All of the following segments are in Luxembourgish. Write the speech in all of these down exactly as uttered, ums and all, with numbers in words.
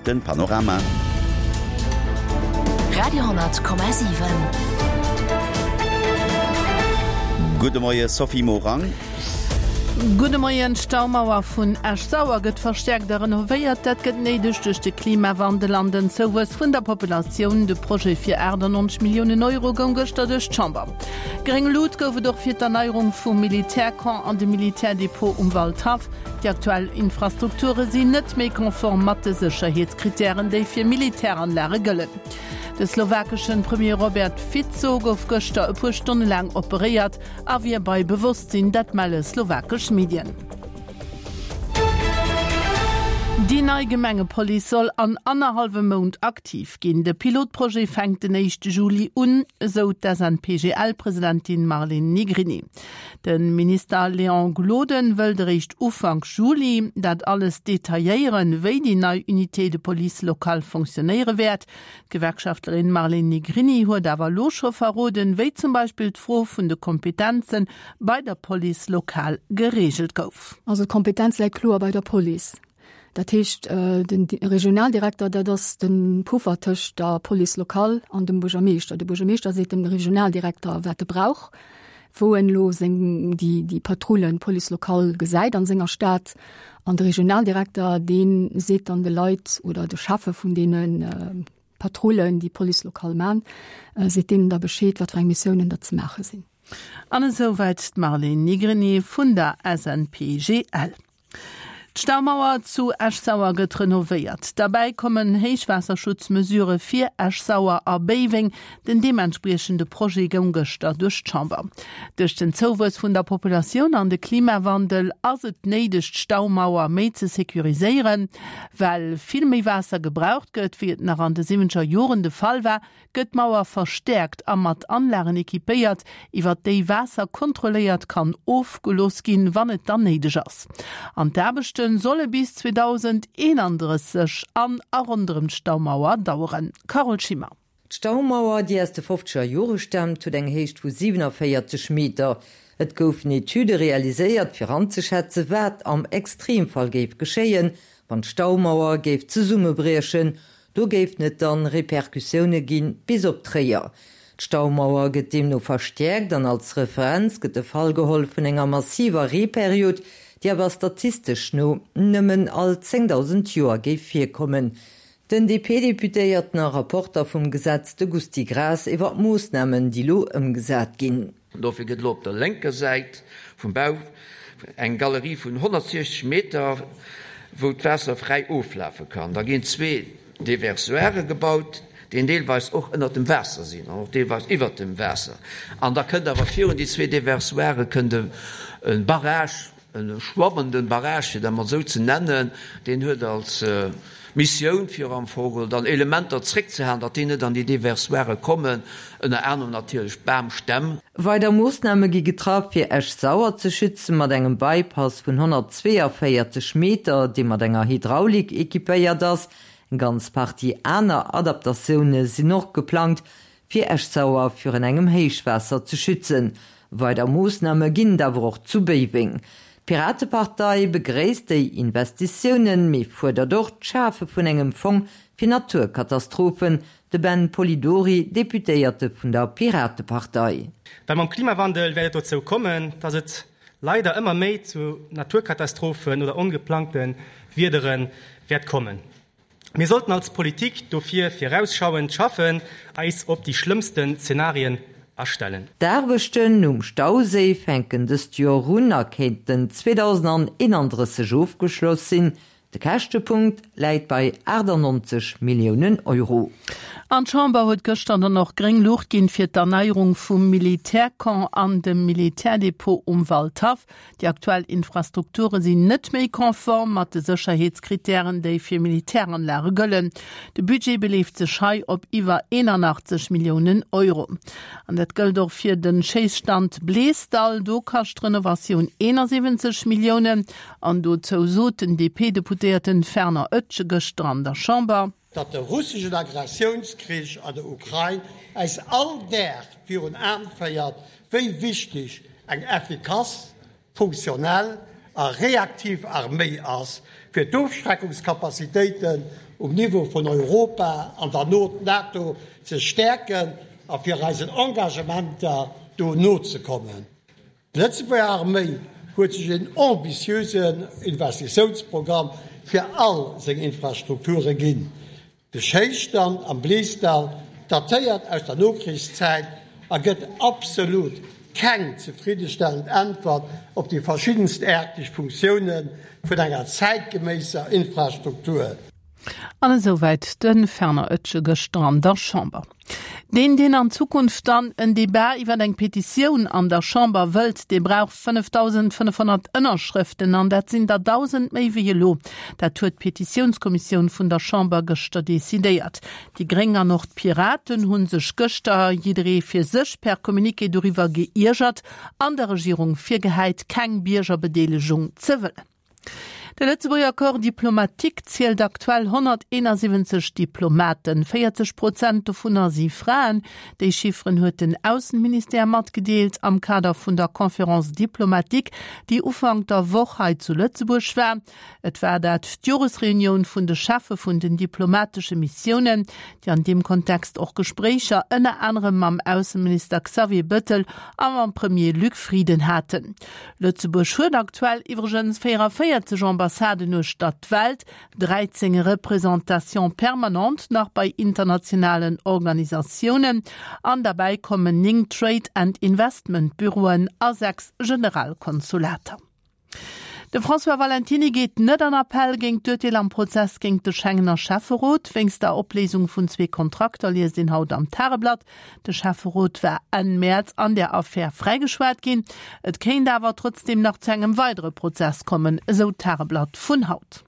den Panorama. Radio hundert Komma siwen. Gudde Moie Sophie Morang. Gudde Moien, D'Staumauer vun Esch-Sauer gëtt verstäerkt a renovéiert. Dat gëtt néideg duerch de Klimawandel an den Zouwuess vun der Populatioun. De Projet fir achtannonzeg Milliounen Euro goung gëschter duerch d'Chamber. Gréng Lut gouf et och fir d'Erneierung vum Militärcamp an de Militärdepot um Waldhaff. Déi aktuell Infrastrukture sinn net méi konform mat de Sécherheetskrittären, déi fir Militäranlage gëllen. De slowakeschen Premier Robert Fico gouf gëschter e puer Stonne laang operéiert a wier bei Bewosstsinn, dat melle slowakesch Medien. Déi nei Gemengepolice soll an annerhallwem Mount aktiv ginn. De Pilotprojet fänkt den éischte Juli un, esou d'SNPGL-Presidentin Marlene Negrini. De Minister Léon Gloden wëllt eréischt Ufank Juli dat alles detailléieren, wéi déi nei Unité de police locale fonctionnéiere wäert. D'Gewerkschaftlerin Marlene Negrini huet awer elo scho verroden, wéi zum Beispill d'Fro vun de Kompetenze bei der Police locale gereegelt gouf. Also d'Kompetenz läit kloer bei der Police. Dat heescht, den Regionaldirekter, dat ass de Puffer tëscht der Police locale an dem Buergermeeschter. De Buergermeeschter seet dem Regionaldirekter, wat e brauch, wou en elo seng, déi, déi Patrullen Police locale gesäit an senger Stad. An de Regionaldirekter, dee seet dann de Leit oder de Cheffe vun deene Patrullen, déi Police locale man, seet deenen da Bescheed, wat fir eng Missiounen da ze maache sinn. An esouwäit d'Marlene Nigriny vun der S N P G L. D'Staumauer zu Esch-Sauer gëtt renovéiert. Derbäi kommen Héichwaasserschutzmesurë fir Esch-Sauer a Béiweng. Den deementspriechende Projet goung gëschter duerch d'Chamber. Duerch den Zouwuess vun der Populatioun an de Klimawandel ass et néideg, d'Staumauer méi ze securiséieren. Well vill méi Waasser gebraucht gëtt, wéi et nach an de siwwenzeger Joren de Fall war, gëtt d'Mauer verstäerkt a mat Anlagen equipéiert, iwwer déi Waasser kontrolléiert kann ofgelooss ginn, wann et dann néideg ass. An d'Aarbechte solle bis zweedausendeenandrësseg an a ronderëm d'Staumauer daueren. Carole Schimmer. D'Staumauer, déi aus de fofzeger Jore staamt, huet eng Héicht vu siewenavéierzeg Meter. Et goufen Etüde realiséiert, fir anzeschätzen, wat am Extremfall géif geschéien, wann d'Staumauer géif zesummebriechen. Do géifen et dann Repercussioune ginn bis op Tréier. D'Staumauer gëtt deemno verstäerkt an als Referenz gëtt de Fall geholl vun enger massiver Reeperiod, déi awer statistesch no nëmmen all zéngdausend Joer géif virkommen. Den D P-Deputéierten a Rapporter vum Gesetz, de Gusty Graas, iwwer d'Moossnamen, déi lo ëmgesat ginn. Dofir gëtt elo op der lénker Säit vum Bau eng Galerie vun honnertsiechzeg Meter, wou d'Waasser fräi oflafe kann. Da ginn zwee Déversoire gebaut, déi deelweis och ënnert dem Waasser sinn an och deelweis iwwert dem Waasser. An da kënnt awer virun déi zwee Déversoire kënnt e Barrage, e schwammenden Barrage, fir dat mol esou ze nennen, deen huet als Missioun, fir am Fong dann Elementer zréckzehalen, datt déi net an déi Déversoire kommen, ënner anerem natierlech Bamstämm. Weider Moossname gi getraff, fir Esch-Sauer ze schützen, mat engem Bypass vun honnertzweeënvéierzeg Meter, dee mat enger Hydraulik equipéiert ass. Eng ganz Partie aner Adaptatioune sinn och geplangt, fir Esch-Sauer virun engem Héichwaasser ze schützen. Weider Moossname ginn et awer och zu Béiweng. D'Piratepartei begréisst déi Investitiounen, mee fuerdert och d'Schafe vun engem Fong fir Naturkatastrophen. De Ben Polidori, Deputéierte vun der Piratepartei. Well mam Klimawandel wäert et dozou kommen, dass et leider ëmmer méi zu Naturkatastrophen oder ongeplangte Wiedere wäert kommen. Mir sollten als Politik dofir virausschauend schaffen, eis op déi schlëmmsten Zenarien astellen. D'Aarbechten um Stauséi fänken dëst Joer un a kéinten zweedausendeenandrësseg ofgeschloss sinn. De Käschtepunkt läit bei aachtannonzeg Milliounen Euro. An d'Chamber huet gëschter dann och gréng Luucht ginn fir d'Erneierung vum Militärcamp an dem Militärdepot um Waldhaff. Déi aktuell Infrastrukture sinn net méi konform mat de Sécherheetskrittären, déi fir Militäranlage gëllen. De Budget beleeft sech hei op iwwer eenanachtzeg Milliounen Euro. An dat gëllt och fir de Schéisstand Bleesdall. Do kascht d'Renovatioun eenasiwwenzeg Milliounen. An dozou sot den D P-Deputéierten Fernand Etgen gëschter an der Chamber. Datt de russeschen Agressiounskrich an der Ukrain eis all Dag virun Aen féiert, wéi wichteg eng effikass, funktionell a reaktiv Arméi ass, fir d'Ofschreckungscapacitéiten um Niveau vun Europa an der NATO ze stäerken a fir eisen Engagementer do nozekommen. D'Lëtzebuerger Arméi huet sech en ambitiösen Investitiounsprogramm fir all seng Infrastrukture ginn. De Schéisstand am Bleesdall datéiert aus der Nokrichszäit a gëtt absolut keng zefriddestellend Äntwert op déi verschiddenstaarteg Funktioune vun enger zäitgeméisser Infrastruktur. An esouwäit de Fernand Oetsch gëschter an der Chamber. Deen, deen an Zukunft dann en Debat iwwer eng Petitioun an der Chamber wëllt, dee brauch fënnefdausendfënnefhonnert Ënnerschrëften, an dat sinn der dausend méi wéi elo. Dat huet d'Petitiounskommissioun vun der Chamber gëschter decidéiert. Déi Gréng an och d'Piraten hu sech gëschter, jidderee fir sech, per Communiqué doriwwer geiergert an der Regierung virgehäit, keng Biergerbedeelegung ze wëllen. De Lëtzebuerger Corps diplomatique zielt aktuell honnerteenasiwwenzeg Diplomaten. véierzeg Prozent dovunner si Fraen. Déi Chifferen huet den Aussenministère matgedeelt am Kader vun der Conférence diplomatique, déi Ufank der Woch hei zu Lëtzebuerg war. Et war dat d'Joresreunioun vun de Cheffe vun den diplomatesche Missiounen, déi an deem Kontext och Gespréicher ënner anerem mam Ausseminister Xavier Bettel a mam Premier Luc Frieden haten. Lëtzebuerg huet aktuell iwwregens véierundavéierzeg Ambassaden uechter d'Welt, dräizéng Représentations permanentes nach bei internationalen Organisatiounen an derbäi kommen néng Trade and Investment Büroen a sechs Generalkonsulater. De François Valentiny geet net an Appell géint d'Urteel am Prozess géint de Schengener Schäfferot wéinst der Opléisung vun zwee Kontrakter, liest een haut am Tageblatt. De Schäfferot war Enn Mäerz an der Affär fräigeschwat ginn. Et kéint awer trotzdeem nach zu engem weidere Prozess kommen, esou d'Tageblatt vun haut.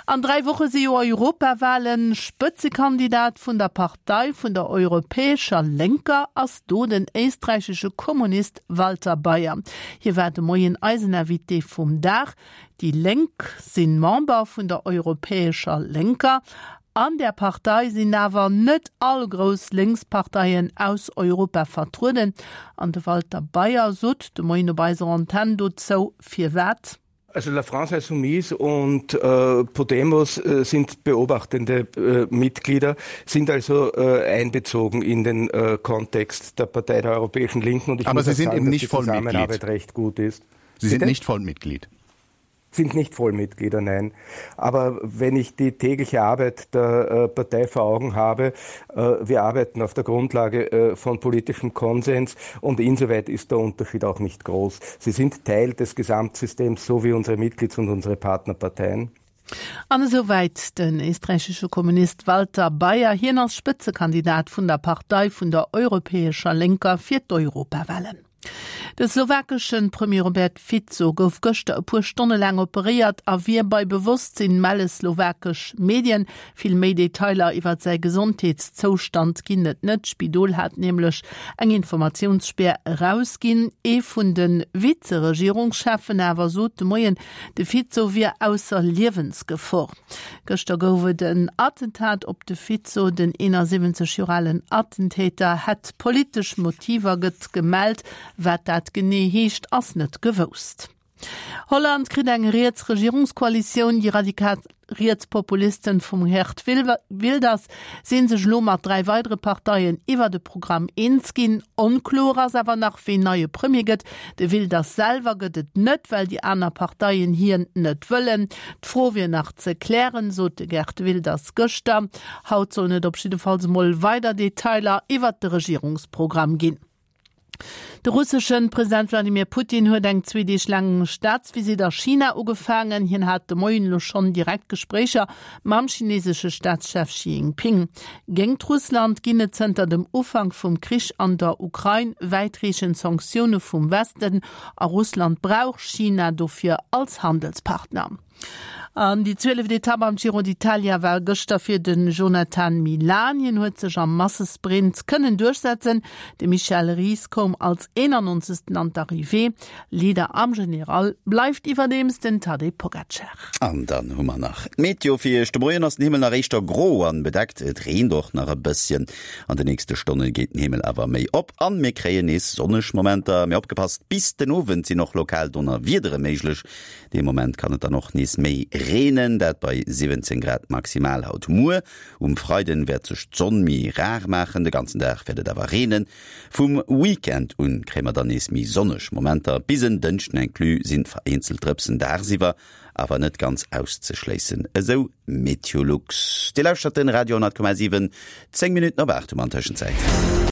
An dräi Woche si jo Europawalen. Spëtzekandidat vun der Partei vun der Europäescher Lénker ass do den éisträichesche Kommunist Walter Baier. Hie war de Moien eisen Invité vum Dag. Déi Lénk si Member vun der Europäescher Lénker. An där Partei sinn awer net all grouss Lénksparteien aus Europa vertrueden. An de Walter Baier sot de Moien op eiser Antenn dozou, firwat. Also La France Insoumise und äh, Podemos äh, sind beobachtende äh, Mitglieder, sind also äh, einbezogen in den äh, Kontext der Partei der Europäischen Linken. Und ich Aber muss Sie sind sagen, eben nicht Vollmitglied. Zusammenarbeit recht gut ist. Sie sind nicht Vollmitglied. Sind nicht Vollmitglieder, nein. Aber wenn ich die tägliche Arbeit der äh, Partei vor Augen habe, äh, wir arbeiten auf der Grundlage äh, von politischem Konsens und insoweit ist der Unterschied auch nicht groß. Sie sind Teil des Gesamtsystems, so wie unsere Mitglieds- und unsere Partnerparteien. An esouwäit den éisträichesche Kommunist Walter Baier. Hien ass Spëtzekandidat vun der Partei vun der Europäescher Lénker fir d'Europawalen. De slowakesche Premier Robert Fico gouf gëschter e puer Stonne laang operéiert a wier bei Bewosstsinn, melle slowakesch Medien. Vill méi Detailer iwwer säi Gesondheetszoustand ginn et net. D'Spidol hat nämlech eng Informatiounsspäer erausginn. Ee vun de Vize-Regierungscheffen awer sot de Moien, de Fico wier ausser Liewensgefor. Gëschter gouf et en Attentat op de Fico. Den eenansiwwenzeg Joer alen Attentäter hätt politesch Motiver, gëtt gemellt. Wat dat genee heescht, ass net gewousst. Holland kritt eng riets Regierungskoalitioun. Déi radikal Rietspopulisten vum Geert Wilders si sech elo mat dräi weidere Parteien iwwert e Programm eens ginn. Onkloer ass awer nach, ween neie Premier gëtt. De Wilders selwer gëtt et net, well déi aner Parteien hien net wëllen. D'Fro wier nach ze klären, sot de Geert Wilders gëschter. Haut sollen et op jiddefalls emol weider Detailer iwwert de Regierungsprogramm ginn. De russesche President Wladimir Putin huet eng zwee Deeg laang Staatsvisitt a China ugefaangen. Hien hat de Moien elo schonn direkt Gespréicher mam chinesesche Staatschef Xi Jinping. Géingt Russland ginn et zënter dem Ufank vum Krich an der Ukrain wäitreechend Sanktioune vum Westen a Russland brauch China dofir als Handelspartner. An déi zwieleft Etapp am Giro d'Italia war gëschter fir den Jonathan Milan. Hien huet sech am Massesprint kënnen duerchsetzen. De Michel Ries koum als eenannonzegsten an d'Arrivée. Leader am General bleift iwwerdeems den Tadej Pogacar. An dann hu mer nach d'Meteo fir iech. De Moien ass den Himmel nach éischter gro an bedeckt, et reent och nach e bësschen. An de nächste Stonne geet den Himmel awer méi op an mir kréien nees sonneg Momenter. Mee opgepasst, bis den Owend sinn och lokal Donnerwiedere méiglech. Dee Moment kann et dann och nees méi reenen, dat bei siwwenzéng Grad maximal haut. Muer um Freiden wäert sech d'Sonn méi rar maachen, de ganzen Dag wäert et awer reenen. Vum Weekend un kréie mer dann nees méi sonneg Momenter, bis en Dënschden inclus sinn vereenzelt Drëpsen dagsiwwer awer net ganz auszeschléissen, esou Meteolux. Dir lauschtert den Radio honnert Komma siwen, zéng Minutten op aacht hu mer an Tëschenzäit.